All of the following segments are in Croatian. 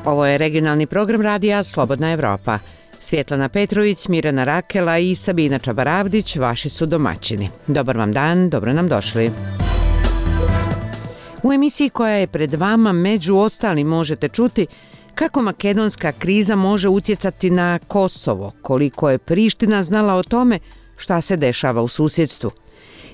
Ovo je regionalni program radija Slobodna Evropa. Svjetlana Petrović, Mirjana Rakela i Sabina Čabaravdić vaši su domaćini. Dobar vam dan, dobro nam došli. U emisiji koja je pred vama među ostalim možete čuti kako makedonska kriza može utjecati na Kosovo, koliko je Priština znala o tome šta se dešava u susjedstvu.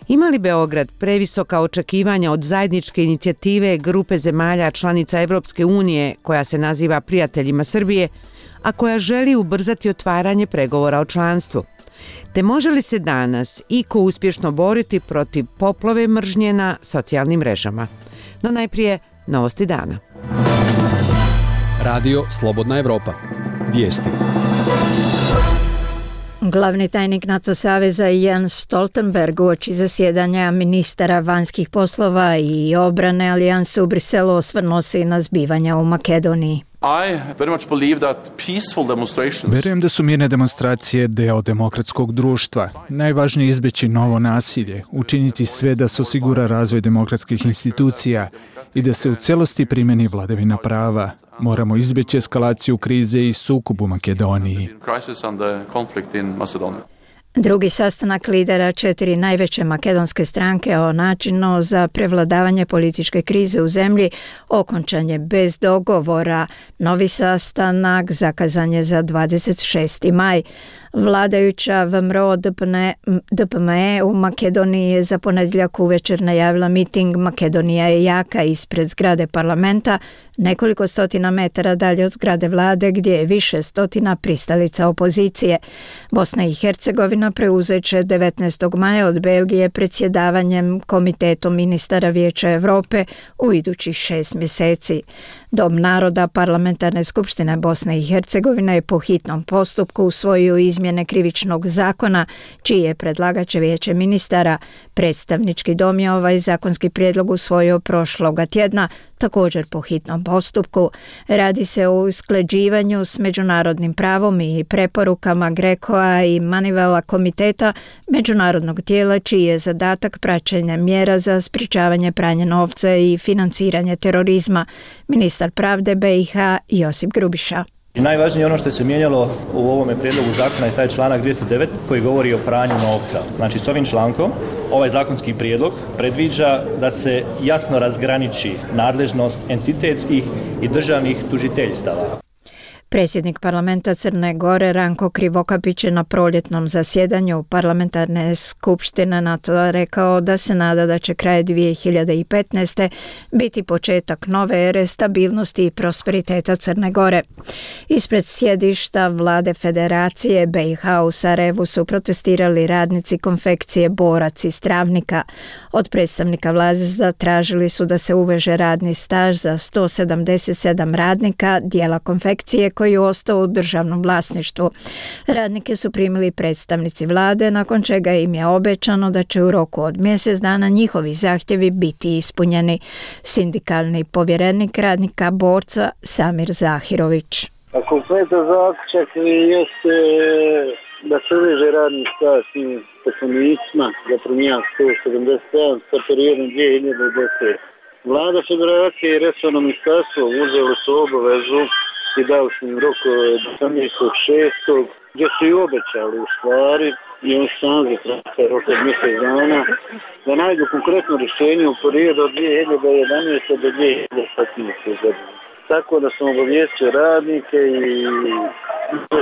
Ima li Beograd previsoka očekivanja od zajedničke inicijative grupe zemalja članica Evropske unije koja se naziva Prijateljima Srbije, a koja želi ubrzati otvaranje pregovora o članstvu? Te može li se danas iko uspješno boriti protiv poplave mržnje na socijalnim mrežama? No najprije novosti dana. Radio Slobodna Evropa. Vijesti. Glavni tajnik NATO saveza Jens Stoltenberg uoči zasjedanja ministara vanjskih poslova i obrane alijanse u Briselu osvrnuo se i na zbivanja u Makedoniji. Vjerujem da su mirne demonstracije deo demokratskog društva. Najvažnije je izbjeći novo nasilje, učiniti sve da se osigura razvoj demokratskih institucija i da se u cijelosti primjeni vladavina prava. Moramo izbjeći eskalaciju krize i sukob u Makedoniji. Drugi sastanak lidera 4 najveće makedonske stranke o načinu za prevladavanje političke krize u zemlji okončan je bez dogovora. Novi sastanak zakazan je za 26. maj. Vladajuća VMRO DPME u Makedoniji je za ponedjeljak uvečer najavila miting Makedonija je jaka ispred zgrade parlamenta, nekoliko stotina metara dalje od zgrade vlade gdje je više stotina pristalica opozicije. Bosna i Hercegovina preuzet će 19. maja od Belgije predsjedavanjem Komitetom ministara Vijeća Europe u idućih 6 mjeseci. Dom naroda Parlamentarne skupštine Bosne i Hercegovine je po hitnom postupku usvojio izmjene krivičnog zakona, čiji je predlagač Vijeće ministara. Predstavnički dom je ovaj zakonski prijedlog usvojio prošloga tjedna, također po hitnom postupku. Radi se o usklađivanju s međunarodnim pravom i preporukama GRECO-a i Manivela komiteta, međunarodnog tijela čiji je zadatak praćenja mjera za sprječavanje pranja novca i financiranje terorizma. Ministar pravde BiH Josip Grubiša. I najvažnije ono što se mijenjalo u ovome prijedlogu zakona je taj članak 209 koji govori o pranju novca. Znači s ovim člankom ovaj zakonski prijedlog predviđa da se jasno razgraniči nadležnost entitetskih i državnih tužiteljstava. Predsjednik parlamenta Crne Gore Ranko Krivokapić je na proljetnom zasjedanju parlamentarne skupštine NATO rekao da se nada da će kraj 2015. biti početak nove ere stabilnosti i prosperiteta Crne Gore. Ispred sjedišta vlade Federacije BiH u Sarajevu su protestirali radnici konfekcije Borac iz Travnika. Od predstavnika vlade zatražili su da se uveže radni staž za 177 radnika dijela konfekcije koji je ostao u državnom vlasništvu. Radnike su primili predstavnici vlade, nakon čega im je obećano da će u roku od mjesec dana njihovi zahtjevi biti ispunjeni. Sindikalni povjerenik radnika Borca Samir Zahirović. A konkretan zaključak jeste da se uveže radni staž svim zaposlenicima za promjena 177 sa periodom 2010. Vlada Federacije i resorno ministarstvo uzeli su obavezu i dali su im rok do 18.6. gdje su i obećali u stvari i on sam zatražio rok od mjesec dana da najdu konkretno rješenje u periodu od 2011. do 2015. godine. Tako da sam obavijestio radnike i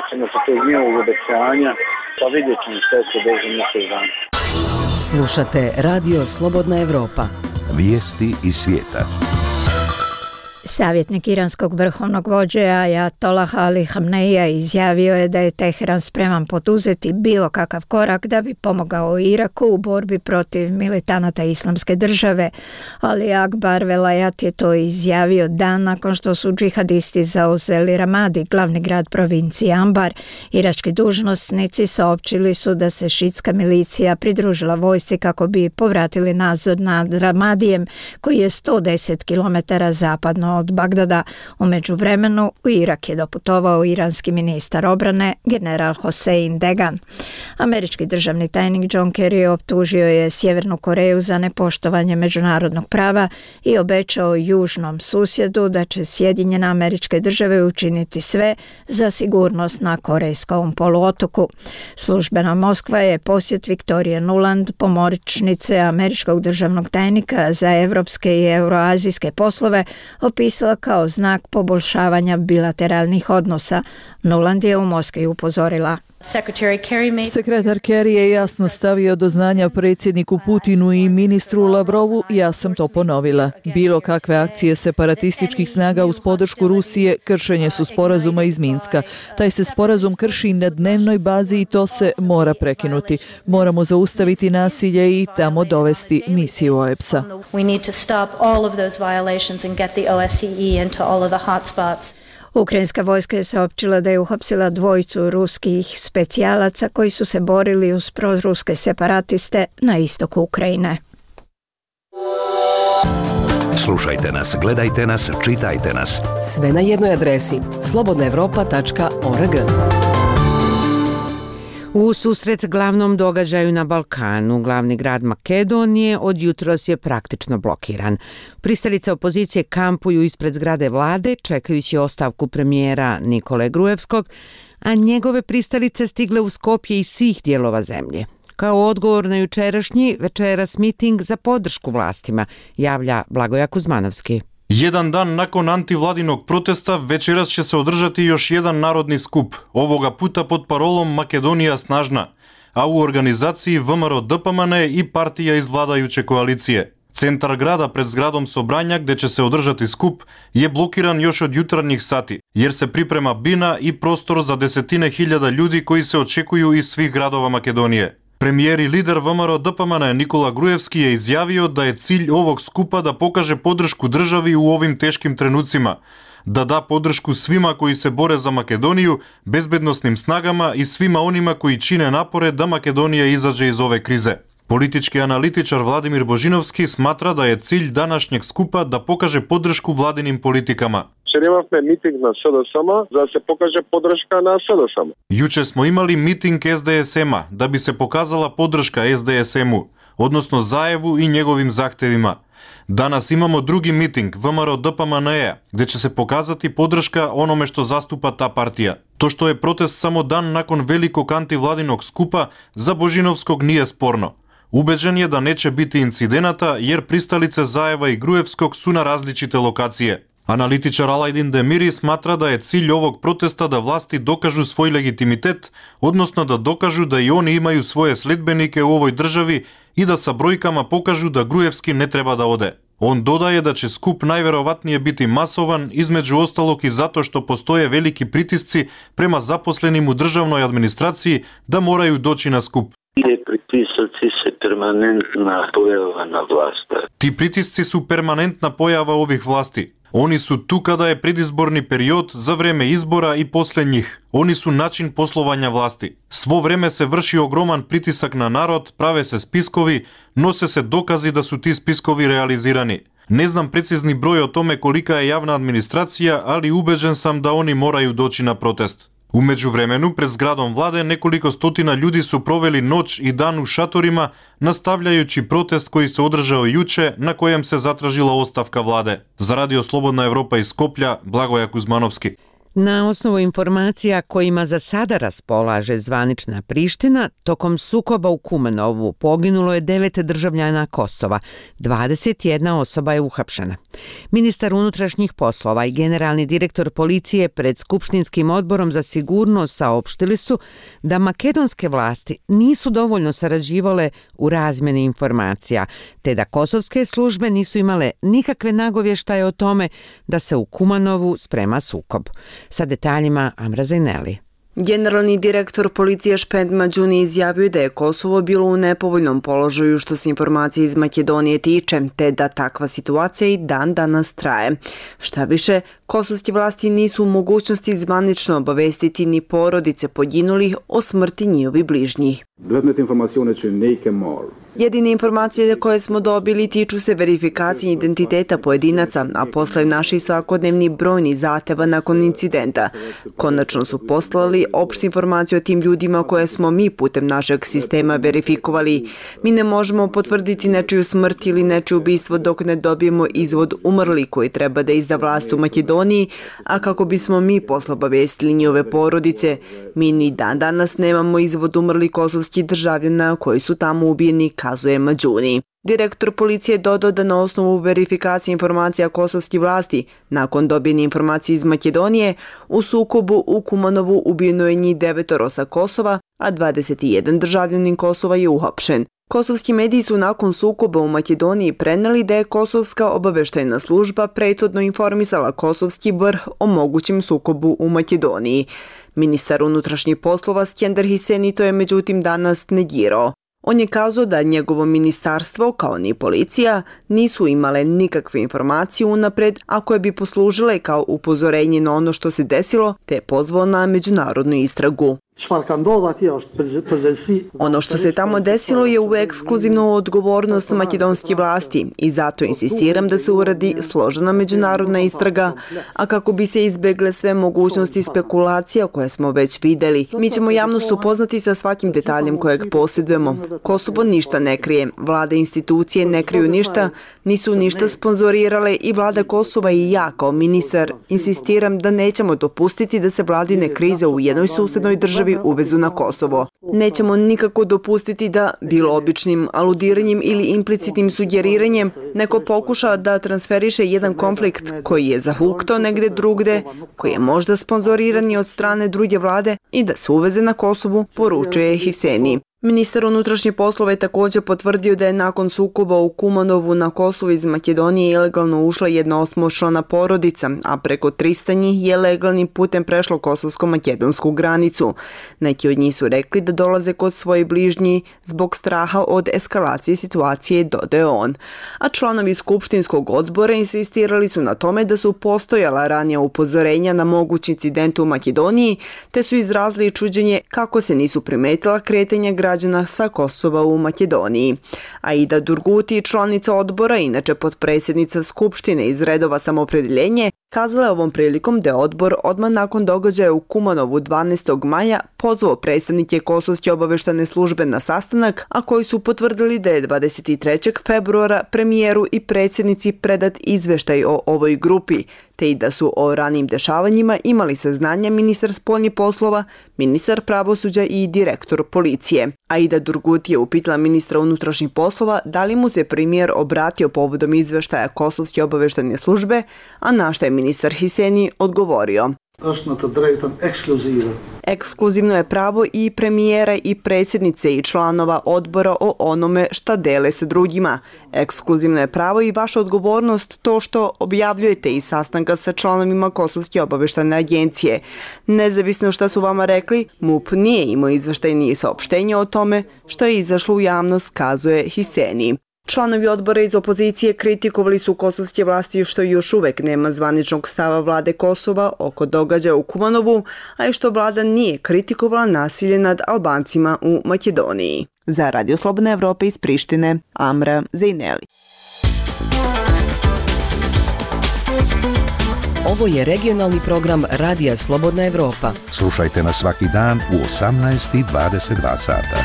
ćemo se tog njihovog obećanja, pa vidjet ćemo što se dođe mjesec dana. Slušate Radio Slobodna Evropa. Vijesti iz svijeta. Savjetnik iranskog vrhovnog vođe Ajatollaha Ali Hamneija izjavio je da je Teheran spreman poduzeti bilo kakav korak da bi pomogao Iraku u borbi protiv militanata Islamske države. Ali Akbar Velayat je to izjavio dan nakon što su džihadisti zauzeli Ramadi, glavni grad provincije Anbar. Irački dužnosnici saopćili su da se šitska milicija pridružila vojsci kako bi povratili nadzor nad Ramadijem, koji je 110 km zapadno neposredno od Bagdada. U međuvremenu u Irak je doputovao iranski ministar obrane general Hossein Degan. Američki državni tajnik John Kerry optužio je Sjevernu Koreju za nepoštovanje međunarodnog prava i obećao južnom susjedu da će Sjedinjene Američke Države učiniti sve za sigurnost na Korejskom poluotoku. Službena Moskva je posjet Viktorije Nuland, pomoćnice američkog državnog tajnika za evropske i euroazijske poslove, opisala kao znak poboljšavanja bilateralnih odnosa. Nuland je u Moskvi upozorila: Sekretar Kerry je jasno stavio do znanja predsjedniku Putinu i ministru Lavrovu, ja sam to ponovila. Bilo kakve akcije separatističkih snaga uz podršku Rusije kršenje su sporazuma iz Minska. Taj se sporazum krši na dnevnoj bazi i to se mora prekinuti. Moramo zaustaviti nasilje i tamo dovesti misiju OEBS-a. Ukrajinska vojska je saopćila da je uhapsila dvojicu ruskih specijalaca koji su se borili uz proruske separatiste na istoku Ukrajine. Slušajte nas, gledajte nas, čitajte nas. Sve na jednoj adresi slobodnaevropa.org. U susret glavnom događaju na Balkanu, glavni grad Makedonije od jutros je praktično blokiran. Pristalice opozicije kampuju ispred zgrade vlade čekajući ostavku premijera Nikole Gruevskog, a njegove pristalice stigle u Skopje iz svih dijelova zemlje. Kao odgovor na jučerašnji večeras miting za podršku vlastima, javlja Blagoja Kuzmanovski. Jedan dan nakon antivladinog protesta večeras će se održati još jedan narodni skup, ovoga puta pod parolom Makedonija snažna, a u organizaciji VMRO DPMN i partija iz vladajuće koalicije. Centar grada pred zgradom Sobranja gdje će se održati skup je blokiran još od jutarnjih sati, jer se priprema bina i prostor za desetine hiljada ljudi koji se očekuju iz svih gradova Makedonije. Premijer i lider VMRO DPMN Nikola Gruevski je izjavio da je cilj ovog skupa da pokaže podršku državi u ovim teškim trenucima, da da podršku svima koji se bore za Makedoniju, bezbednosnim snagama i svima onima koji čine napore da Makedonija izađe iz ove krize. Politički analitičar Vladimir Božinovski smatra da je cilj današnjeg skupa da pokaže podršku vladinim politikama. Imamo miting na SDSM-a da se pokaže podrška na SDSM-u. Juče smo imali miting SDSM-a da bi se pokazala podrška SDSM-u, odnosno Zajevu i njegovim zahtevima. Danas imamo drugi miting VMRO DPMN-a gdje će se pokazati podrška onome što zastupa ta partija. To što je protest samo dan nakon velikog antivladinog skupa za Božinovskog nije sporno. Ubeđen je da neće biti incidenata jer pristalice Zajeva i Gruevskog su na različite lokacije. Analitičar Alajdin Demiri smatra da je cilj ovog protesta da vlasti dokažu svoj legitimitet, odnosno da dokažu da i oni imaju svoje sledbenike u ovoj državi i da sa brojkama pokažu da Gruevski ne treba da ode. On dodaje da će skup najverovatnije biti masovan, između ostalog i zato što postoje veliki pritisci prema zaposlenim u državnoj administraciji da moraju doći na skup. Permanentna pojava na vlasti. Ti pritisci su permanentna pojava ovih vlasti. Oni su tu kada je predizborni period, za vreme izbora i poslije njih. Oni su način poslovanja vlasti. Svo vreme se vrši ogroman pritisak na narod, prave se spiskovi, nose se dokazi da su ti spiskovi realizirani. Ne znam precizni broj o tome kolika je javna administracija, ali ubeđen sam da oni moraju doći na protest. U međuvremenu, pred zgradom vlade nekoliko stotina ljudi su proveli noć i dan u šatorima, nastavljajući protest koji se održao juče, na kojem se zatražila ostavka vlade. Za Radio Slobodna Evropa iz Skoplja, Blagoja Kuzmanovski. Na osnovu informacija kojima za sada raspolaže zvanična Priština, tokom sukoba u Kumanovu poginulo je 9 državljana Kosova, 21 osoba je uhapšena. Ministar unutrašnjih poslova i generalni direktor policije pred Skupštinskim odborom za sigurnost saopštili su da makedonske vlasti nisu dovoljno sarađivale u razmjeni informacija, te da kosovske službe nisu imale nikakve nagovještaje o tome da se u Kumanovu sprema sukob. Sa detaljima Amra Zajneli. Generalni direktor policije Špend Mađuni izjavio da je Kosovo bilo u nepovoljnom položaju što se informacije iz Makedonije tiče, te da takva situacija i dan danas traje. Šta više, Kosovske vlasti nisu u mogućnosti zvanično obavestiti ni porodice poginulih o smrti njihovih bližnjih. Jedine informacije koje smo dobili tiču se verifikacije identiteta pojedinaca, a posle naših svakodnevnih brojnih zahteva nakon incidenta. Konačno su poslali opštu informaciju o tim ljudima koje smo mi putem našeg sistema verifikovali. Mi ne možemo potvrditi nečiju smrt ili nečije ubistvo dok ne dobijemo izvod umrli koji treba da izda vlast u Makedoniji, a kako bismo mi posle obavestili njihove porodice, mi ni dan danas nemamo izvod umrli kosovskih državljana koji su tamo ubijeni, kazuje Mađuni. Direktor policije dodao da na osnovu verifikacije informacija kosovskih vlasti, nakon dobijene informacije iz Makedonije, u sukobu u Kumanovu ubijeno je njih 9 sa Kosova, a 21 državljanin Kosova je uhapšen. Kosovski mediji su nakon sukoba u Makedoniji preneli da je Kosovska obaveštajna služba prethodno informisala kosovski vrh o mogućem sukobu u Makedoniji. Ministar unutrašnjih poslova Skender Hiseni to je međutim danas negirao. On je kazao da njegovo ministarstvo, kao ni policija, nisu imale nikakve informacije unapred, a koje bi poslužile kao upozorenje na ono što se desilo, te je pozvao na međunarodnu istragu. Ono što se tamo desilo je u ekskluzivnu odgovornost makedonske vlasti i zato insistiram da se uradi složena međunarodna istraga, a kako bi se izbegle sve mogućnosti spekulacija koje smo već videli. Mi ćemo javnost upoznati sa svakim detaljem kojeg posjedujemo. Kosovo ništa ne krije, vlada i institucije ne kriju ništa, nisu ništa sponzorirale i vlada Kosova i ja kao ministar insistiram da nećemo dopustiti da se vladine krize u jednoj susednoj državi uvezu na Kosovo. Nećemo nikako dopustiti da, bilo običnim aludiranjem ili implicitnim sugeriranjem, neko pokuša da transferiše jedan konflikt koji je zahuktao negde drugde, koji je možda sponzoriran i od strane druge vlade i da se uveze na Kosovu, poručuje Hiseni. Ministar unutrašnjih poslova je također potvrdio da je nakon sukoba u Kumanovu na Kosovu iz Makedonije ilegalno ušla jedna 8-člana porodica, a preko 300 njih je legalnim putem prešlo kosovsko-makedonsku granicu. Neki od njih su rekli da dolaze kod svoje bližnji zbog straha od eskalacije situacije, dodaje on. A članovi skupštinskog odbora insistirali su na tome da su postojala ranija upozorenja na mogući incident u Makedoniji, te su izrazili čuđenje kako se nisu primetila kretanja građana sa Kosova u Makedoniji. Aida Durguti, članica odbora, inače potpredsjednica Skupštine iz redova Samoopredjeljenje, kazala je ovom prilikom da je odbor odmah nakon događaja u Kumanovu 12. maja pozvao predstavnike Kosovske obaveštane službe na sastanak, a koji su potvrdili da je 23. februara premijeru i predsjednici predat izveštaj o ovoj grupi, te i da su o ranim dešavanjima imali saznanja ministar spoljnih poslova, ministar pravosuđa i direktor policije. Aida Durguti je upitala ministra unutrašnjih poslova da li mu se premijer obratio povodom izveštaja Kosovske obaveštane službe, a na što je ministar Hiseni odgovorio. Ekskluzivno je pravo i premijera i predsjednice i članova odbora o onome šta dele sa drugima. Ekskluzivno je pravo i vaša odgovornost to što objavljujete iz sastanka sa članovima Kosovske obaveštane agencije. Nezavisno šta su vama rekli, MUP nije imao izveštajnije saopštenje o tome što je izašlo u javnost, kazuje Hiseni. Članovi odbora iz opozicije kritikovali su kosovske vlasti što još uvek nema zvaničnog stava vlade Kosova oko događaja u Kumanovu, a i što vlada nije kritikovala nasilje nad Albancima u Makedoniji. Za Radio Slobodna Evropa iz Prištine, Amra Zejneli. Ovo je regionalni program Radija Slobodna Evropa. Slušajte nas svaki dan u 18:22 sata.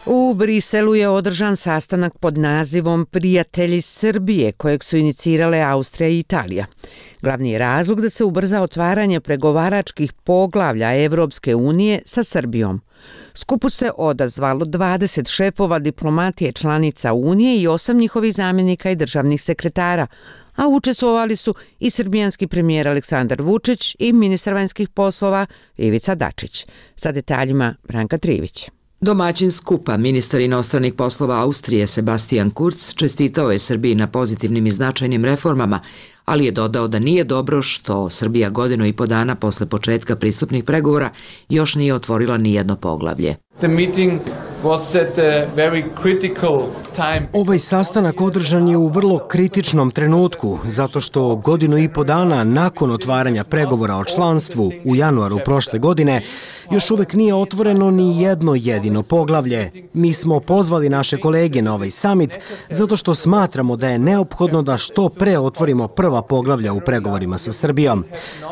U Briselu je održan sastanak pod nazivom Prijatelji Srbije, kojeg su inicirale Austrija i Italija. Glavni je razlog da se ubrza otvaranje pregovaračkih poglavlja Evropske unije sa Srbijom. Skupu se odazvalo 20 šefova diplomatije članica Unije i 8 njihovih zamjenika i državnih sekretara, a učestvovali su i srbijanski premijer Aleksandar Vučić i ministar vanjskih poslova Ivica Dačić. Sa detaljima Branka Trivić. Domaćin skupa, ministar inostranih poslova Austrije Sebastian Kurz, čestitao je Srbiji na pozitivnim i značajnim reformama, ali je dodao da nije dobro što Srbija 1,5 dana posle početka pristupnih pregovora još nije otvorila ni jedno poglavlje. Ovaj sastanak održan je u vrlo kritičnom trenutku, zato što 1,5 godina nakon otvaranja pregovora o članstvu u januaru prošle godine još uvek nije otvoreno ni jedno jedino poglavlje. Mi smo pozvali naše kolege na ovaj summit zato što smatramo da je neophodno da što pre otvorimo prva poglavlja u pregovorima sa Srbijom.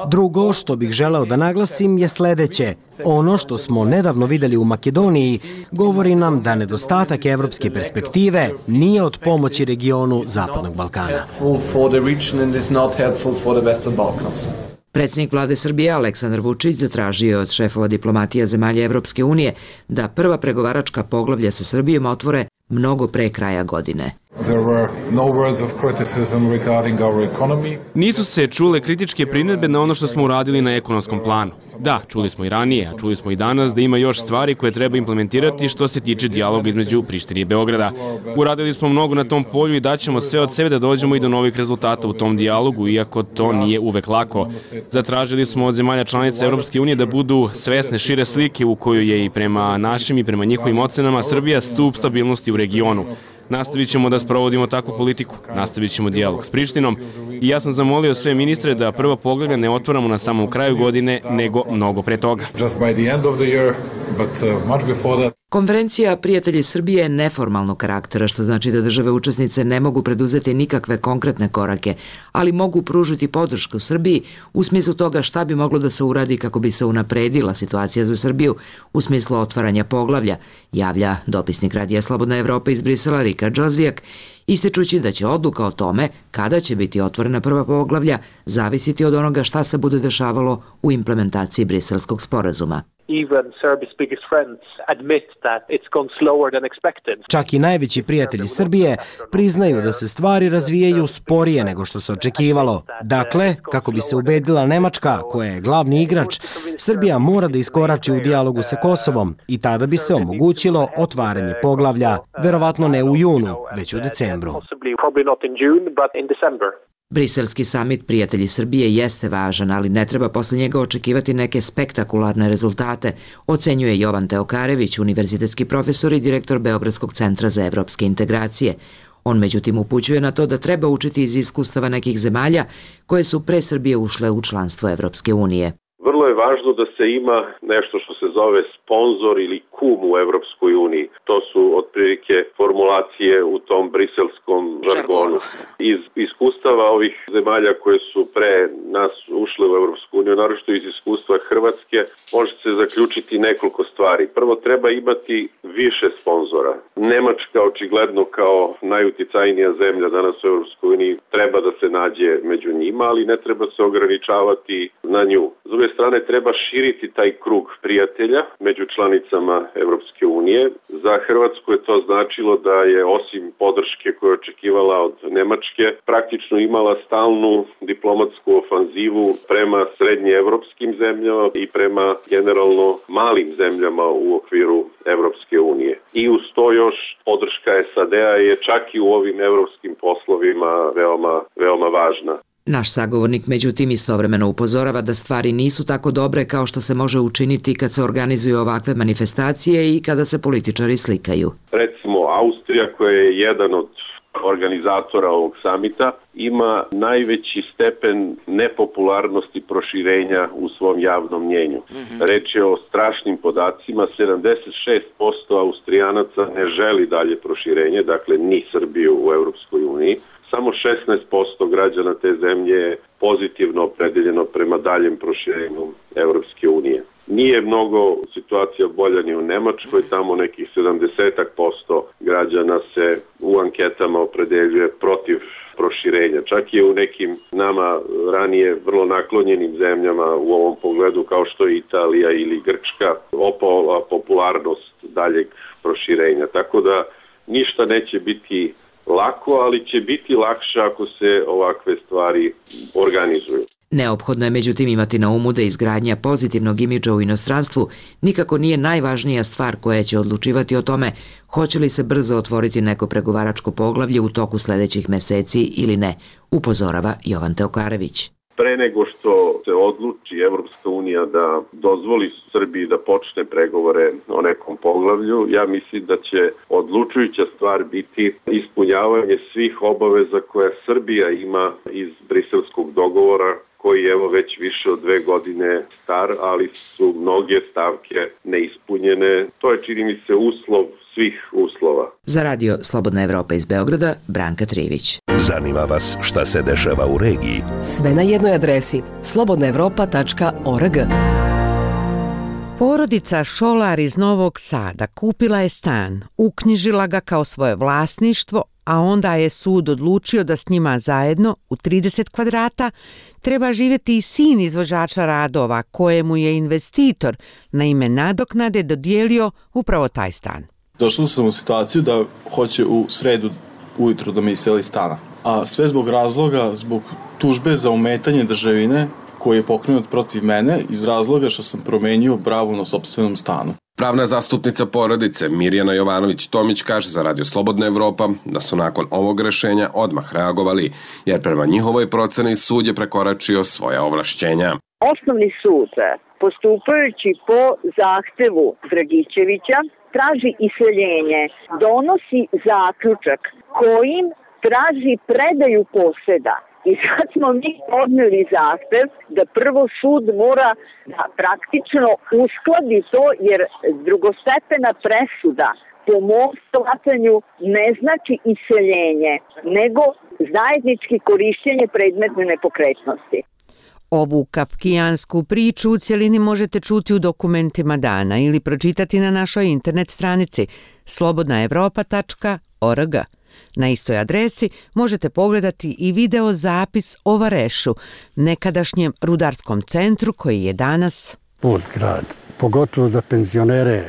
Drugo što bih želeo da naglasim je sledeće. Ono što smo nedavno videli u Makedoniji govori nam da nedostatak evropske perspektive nije od pomoći regionu Zapadnog Balkana. Predsjednik vlade Srbije Aleksandar Vučić zatražio je od šefova diplomatija zemalja Evropske unije da prva pregovaračka poglavlja sa Srbijom otvore mnogo pre kraja godine. Nisu se čule kritičke primjedbe na ono što smo uradili na ekonomskom planu. Da, čuli smo i ranije, a čuli smo i danas da ima još stvari koje treba implementirati što se tiče dijaloga između Prištine i Beograda. Uradili smo mnogo na tom polju i daćemo sve od sebe da dođemo i do novih rezultata u tom dijalogu, iako to nije uvek lako. Zatražili smo od zemalja članica Evropske unije da budu svesne šire slike u kojoj je i prema našim i prema njihovim ocenama Srbija stup stabilnosti u regionu. Nastavit ćemo da sprovodimo takvu politiku, nastavit ćemo dijalog s Prištinom i ja sam zamolio sve ministre da prva poglavlja ne otvaramo na samom kraju godine, nego mnogo pre toga. Konferencija Prijatelji Srbije je neformalnog karaktera, što znači da države učesnice ne mogu preduzeti nikakve konkretne korake, ali mogu pružiti podršku Srbiji u smislu toga šta bi moglo da se uradi kako bi se unapredila situacija za Srbiju u smislu otvaranja poglavlja, javlja dopisnik Radija Slobodna Evropa iz Brisela Rika Džozvijak, ističući da će odluka o tome kada će biti otvorena prva poglavlja zavisiti od onoga šta se bude dešavalo u implementaciji Briselskog sporazuma. Čak i najveći prijatelji Srbije priznaju da se stvari razvijaju sporije nego što se očekivalo. Dakle, kako bi se ubedila Nemačka, koja je glavni igrač, Srbija mora da iskorači u dijalogu sa Kosovom i tada bi se omogućilo otvaranje poglavlja, verovatno ne u junu, već u decembru. Briselski samit Prijatelji Srbije jeste važan, ali ne treba posle njega očekivati neke spektakularne rezultate, ocenjuje Jovan Teokarević, univerzitetski profesor i direktor Beogradskog centra za evropske integracije. On međutim upućuje na to da treba učiti iz iskustava nekih zemalja koje su pre Srbije ušle u članstvo Evropske unije. Vrlo je važno da se ima nešto što se zove sponzor ili kum u Evropskoj uniji. To su otprilike formulacije u tom briselskom žargonu. Iz iskustava ovih zemalja koje su pre nas ušle u Evropsku uniju, naročito iz iskustva Hrvatske, može se zaključiti nekoliko stvari. Prvo, treba imati više sponzora. Nemačka, očigledno kao najuticajnija zemlja danas u Evropskoj uniji, treba da se nađe među njima, ali ne treba se ograničavati na nju. S druge strane, treba širiti taj krug prijatelja među članicama Evropske unije. Za Hrvatsku je to značilo da je osim podrške koju je očekivala od Nemačke, praktično imala stalnu diplomatsku ofanzivu prema srednjeevropskim zemljama i prema generalno malim zemljama u okviru Evropske unije. I uz to još podrška SAD-a je čak i u ovim evropskim poslovima veoma važna. Naš sagovornik međutim istovremeno upozorava da stvari nisu tako dobre kao što se može učiniti kad se organizuju ovakve manifestacije i kada se političari slikaju. Recimo, Austrija, koja je jedan od organizatora ovog samita, ima najveći stepen nepopularnosti proširenja u svom javnom mnjenju. Reč je o strašnim podacima, 76% Austrijanaca ne želi dalje proširenje, dakle ni Srbiju u Evropskoj uniji. Samo 16% građana te zemlje je pozitivno opredeljeno prema daljem proširenju Evropske unije. Nije mnogo situacija bolja ni u Nemačkoj, tamo nekih 70% građana se u anketama opredeljuje protiv proširenja. Čak i u nekim nama ranije vrlo naklonjenim zemljama u ovom pogledu kao što je Italija ili Grčka opala popularnost daljeg proširenja. Tako da ništa neće biti lako, ali će biti lakše ako se ovakve stvari organizuju. Neophodno je međutim imati na umu da izgradnja pozitivnog imidža u inostranstvu nikako nije najvažnija stvar koja će odlučivati o tome hoće li se brzo otvoriti neko pregovaračko poglavlje u toku sledećih meseci ili ne, upozorava Jovan Teokarević. pre nego što se odluči Evropska unija da dozvoli Srbiji da počne pregovore o nekom poglavlju, ja mislim da će odlučujuća stvar biti ispunjavanje svih obaveza koje Srbija ima iz briselskog dogovora, koji je evo već više od 2 godine star, ali su mnoge stavke neispunjene. To je, čini mi se, uslov svih uslova. Za radio Slobodna Evropa iz Beograda, Branka Trivić. Zanima vas šta se dešava u regiji? Sve na jednoj adresi slobodnaevropa.org. Porodica Šolar iz Novog Sada kupila je stan, uknjižila ga kao svoje vlasništvo, a onda je sud odlučio da s njima zajedno u 30 kvadrata treba živjeti i sin izvođača radova kojemu je investitor na ime nadoknade dodijelio upravo taj stan. Došao sam u situaciju da hoće u sredu ujutro da me iseli stana, a sve zbog razloga, zbog tužbe za ometanje državine koji je pokrenut protiv mene iz razloga što sam promenio bravu na sopstvenom stanu. Pravna zastupnica porodice Mirjana Jovanović-Tomić kaže za radio Slobodna Evropa da su nakon ovog rešenja odmah reagovali, jer prema njihovoj proceni sud je prekoračio svoja ovlašćenja. Osnovni sud, postupajući po zahtevu Dragićevića, traži iseljenje, donosi zaključak kojim traži predaju poseda. I sad smo mi podneli zahtev da prvo sud mora da praktično uskladi to, jer drugostepena presuda po mom shvatanju ne znači iseljenje, nego zajednički korišćenje predmetne nepokretnosti. Ovu kafkijansku priču u cjelini možete čuti u dokumentima dana ili pročitati na našoj internet stranici slobodnaevropa.org. Na istoj adresi možete pogledati i video zapis o Varešu, nekadašnjem rudarskom centru koji je danas put grad. Pogotovo za penzionere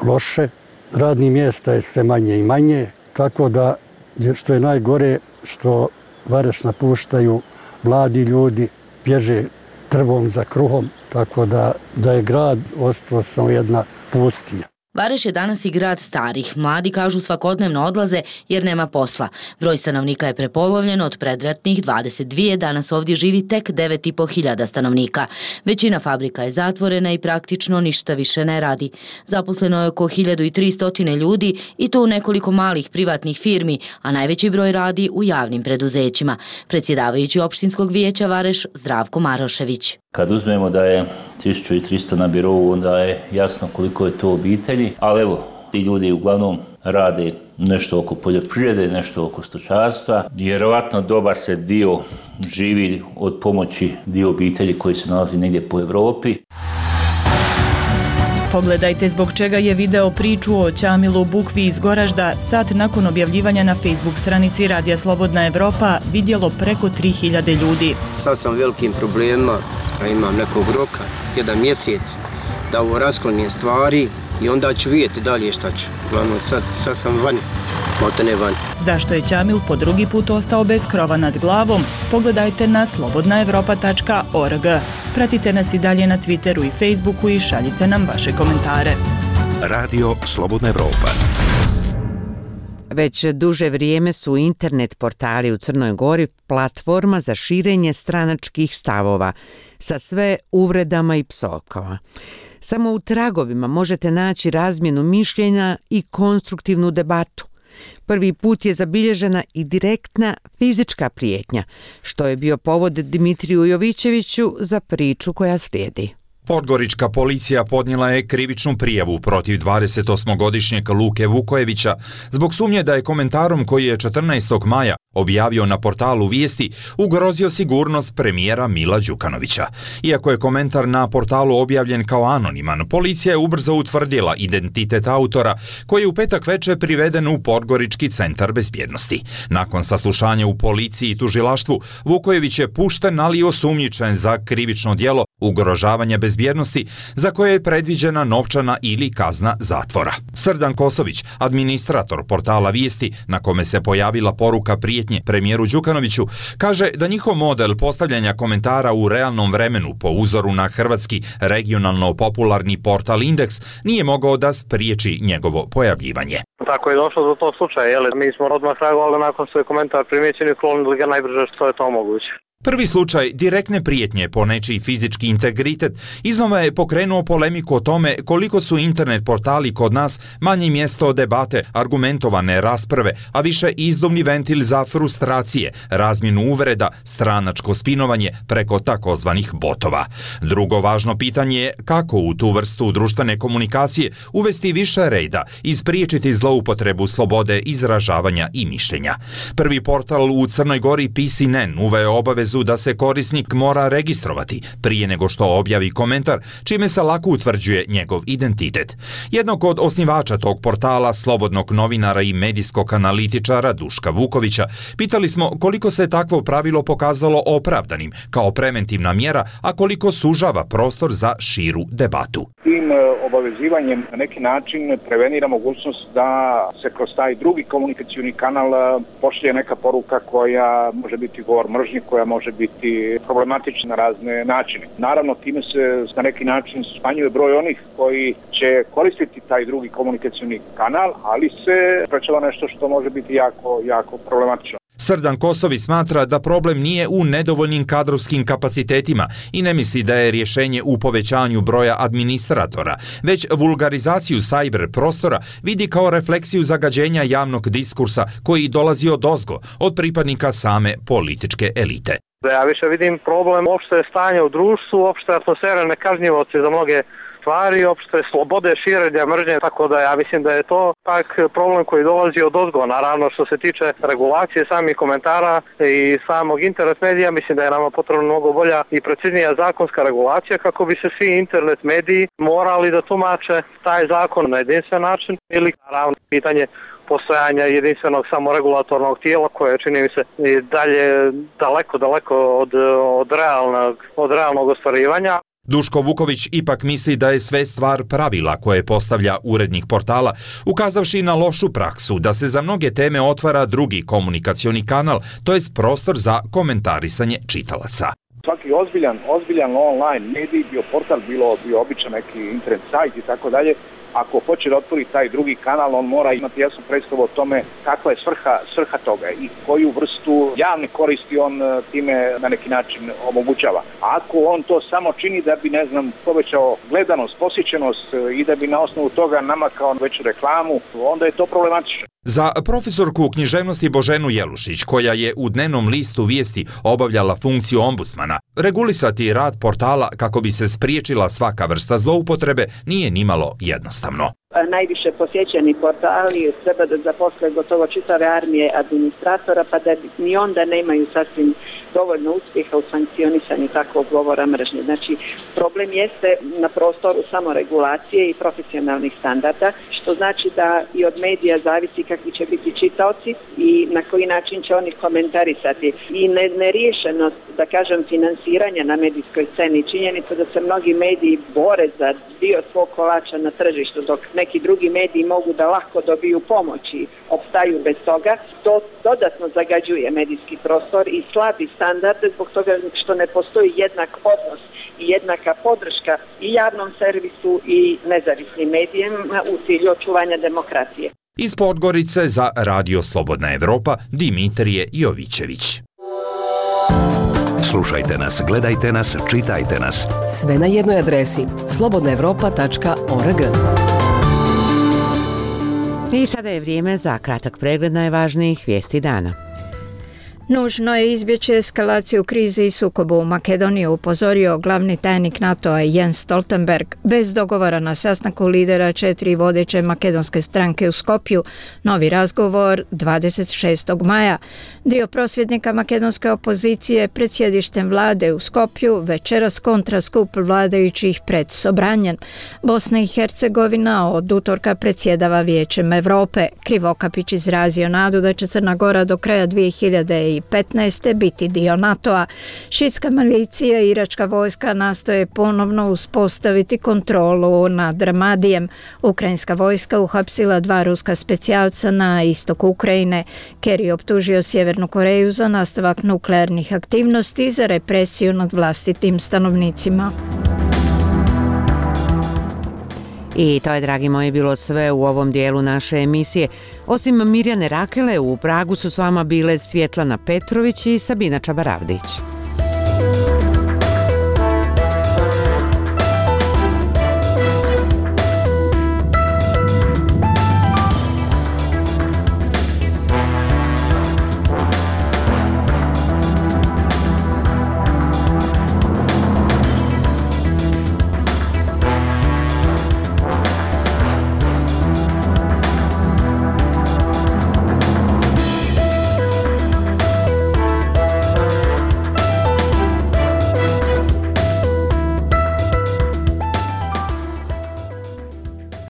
loše, radnih mjesta je sve manje i manje, tako da što je najgore što Vareš napuštaju mladi ljudi, bježe trvom za kruhom, tako da je grad ostao samo jedna pustinja. Vareš je danas i grad starih. Mladi kažu svakodnevno odlaze jer nema posla. Broj stanovnika je prepolovljen od predratnih 22, danas ovdje živi tek 9.500 stanovnika. Većina fabrika je zatvorena i praktično ništa više ne radi. Zaposleno je oko 1300 ljudi i to u nekoliko malih privatnih firmi, a najveći broj radi u javnim preduzećima. Predsjedavajući opštinskog vijeća Vareš Zdravko Marošević. Kad uzmemo da je 1300 na birovu, onda je jasno koliko je to obitelji, ali evo, ti ljudi uglavnom rade nešto oko poljoprivrede, nešto oko stočarstva. Vjerovatno dobar se dio živi od pomoći dio obitelji koji se nalazi negdje po Evropi. Pogledajte zbog čega je video priču o Ćamilu Bukvi iz Goražda sat nakon objavljivanja na Facebook stranici Radija Slobodna Evropa vidjelo preko 3000 ljudi. Sad sam velikim problemima, a imam nekog roka, 1 mjesec, da ovo rasklonim stvari i onda ću vidjeti dalje šta ću. Uglavnom sad sam vani, maltene vani. Zašto je Ćamil po drugi put ostao bez krova nad glavom? Pogledajte na slobodnaevropa.org. Pratite nas i dalje na Twitteru i Facebooku i šaljite nam vaše komentare. Radio Slobodna Evropa. Već duže vrijeme su internet portali u Crnoj Gori platforma za širenje stranačkih stavova sa sve uvredama i psovkama. Samo u tragovima možete naći razmjenu mišljenja i konstruktivnu debatu. Prvi put je zabilježena i direktna fizička prijetnja, što je bio povod Dimitriju Jovićeviću za priču koja slijedi. Podgorička policija podnijela je krivičnu prijavu protiv 28-godišnjeg Luke Vukojevića zbog sumnje da je komentarom koji je 14. maja objavio na portalu Vijesti ugrozio sigurnost premijera Mila Đukanovića. Iako je komentar na portalu objavljen kao anoniman, policija je ubrzo utvrdila identitet autora koji je u petak večer priveden u Podgorički centar bezbjednosti. Nakon saslušanja u policiji i tužilaštvu, Vukojević je pušten, ali i osumnjičen za krivično djelo ugrožavanja bezbjednosti za koje je predviđena novčana ili kazna zatvora. Srdan Kosović, administrator portala Vijesti, na kome se pojavila poruka prijetnje premijeru Đukanoviću, kaže da njihov model postavljanja komentara u realnom vremenu po uzoru na hrvatski regionalno popularni portal Indeks nije mogao da spriječi njegovo pojavljivanje. Tako je došlo do tog slučaja, mi smo odmah reagovali nakon što je komentar primjećen i klonili ga najbrže što je to moguće. Prvi slučaj direktne prijetnje po nečiji fizički integritet iznova je pokrenuo polemiku o tome koliko su internet portali kod nas manje mjesto debate, argumentovane rasprave, a više izduvni ventil za frustracije, razmjenu uvreda, stranačko spinovanje preko takozvanih botova. Drugo važno pitanje je kako u tu vrstu društvene komunikacije uvesti više reda i spriječiti zloupotrebu slobode izražavanja i mišljenja. Prvi portal u Crnoj Gori PCNN uveo obavezu da se korisnik mora registrovati prije nego što objavi komentar, čime se lako utvrđuje njegov identitet. Jednog od osnivača tog portala, slobodnog novinara i medijskog analitičara Duška Vukovića, pitali smo koliko se takvo pravilo pokazalo opravdanim kao preventivna mjera, a koliko sužava prostor za širu debatu. Tim obavezivanjem na neki način prevenira mogućnost da se kroz taj drugi komunikacioni kanal pošalje neka poruka koja može biti govor mržnje, koja može biti problematična na razne načine. Naravno, time se na neki način smanjuje broj onih koji će koristiti taj drugi komunikacioni kanal, ali se sprečava nešto što može biti jako problematično. Srdan Kosovi smatra da problem nije u nedovoljnim kadrovskim kapacitetima i ne misli da je rješenje u povećanju broja administratora, već vulgarizaciju cyber prostora vidi kao refleksiju zagađenja javnog diskursa koji dolazi odozgo, od pripadnika same političke elite. Ja više vidim problem opšte stanje u društvu, opšte atmosfera nekažnjivosti za mnoge stvari, opšte slobode širenja mržnje, tako da ja mislim da je to pak problem koji dolazi od ozgo. Naravno, što se tiče regulacije samih komentara i samog internet medija, mislim da je nama potrebno mnogo bolja i preciznija zakonska regulacija kako bi se svi internet mediji morali da tumače taj zakon na jedinstven način ili naravno pitanje postojanja jedinstvenog samoregulatornog tijela koje čini mi se i dalje daleko od realnog ostvarivanja. Duško Vuković ipak misli da je sve stvar pravila koje postavlja urednik portala, ukazavši na lošu praksu da se za mnoge teme otvara drugi komunikacioni kanal, to jest prostor za komentarisanje čitalaca. Svaki ozbiljan online medij, bio portal, bio običan neki internet sajt i tako dalje, ako hoće da otvori taj drugi kanal, on mora imati jasnu predstavu o tome kakva je svrha toga i koju vrstu javne koristi on time na neki način omogućava. Ako on to samo čini da bi, povećao gledanost, posjećenost i da bi na osnovu toga namakao veću reklamu, onda je to problematično. Za profesorku književnosti Boženu Jelušić, koja je u dnevnom listu Vijesti obavljala funkciju ombudsmana, regulisati rad portala kako bi se spriječila svaka vrsta zloupotrebe nije nimalo jednostavno. Najviše posjećeni portali treba da zaposle gotovo čitave armije administratora, pa da ni onda nemaju sasvim dovoljno uspjeha u sankcionisanju takvog govora mržnje. Znači, problem jeste na prostoru samoregulacije i profesionalnih standarda, što znači da i od medija zavisi kakvi će biti čitaoci i na koji način će oni komentarisati. I neriješenost, da kažem, finansiranja na medijskoj sceni, činjenica da se mnogi mediji bore za dio svog kolača na tržištu, dok neki drugi mediji mogu da lako dobiju pomoć i opstaju bez toga, to dodatno zagađuje medijski prostor i slabi standarde zbog toga što ne postoji jednak odnos i jednaka podrška i javnom servisu i nezavisnim medijima u cilju očuvanja demokracije. Iz Podgorice za Radio Slobodna Evropa, Dimitrije Jovićević. Slušajte nas, gledajte nas, čitajte nas. Sve na jednoj adresi slobodnaevropa.org. I sada je vrijeme za kratak pregled najvažnijih vijesti dana. Nužno je izbjeći eskalaciju krize i sukobu u Makedoniji, upozorio glavni tajnik NATO-a Jens Stoltenberg. Bez dogovora na sastanku lidera 4 vodeće makedonske stranke u Skopju, novi razgovor 26. maja. Dio prosvjednika makedonske opozicije pred sjedištem vlade u Skopju večeras kontra skup vladajućih pred Sobranjem. Bosna i Hercegovina od utorka predsjedava Vijećem Europe. Krivokapić izrazio nadu da će Crna Gora do kraja 2015. biti dio NATO-a. Šitska milicija i iračka vojska nastoje ponovno uspostaviti kontrolu nad Ramadijem. Ukrajinska vojska uhapsila 2 ruska specijalca na istoku Ukrajine. Kerry optužio Sjevernu Koreju za nastavak nuklearnih aktivnosti i za represiju nad vlastitim stanovnicima. I to je, dragi moji, bilo sve u ovom dijelu naše emisije. Osim Mirjane Rakele, u Pragu su s vama bile Svjetlana Petrović i Sabina Čabaravdić.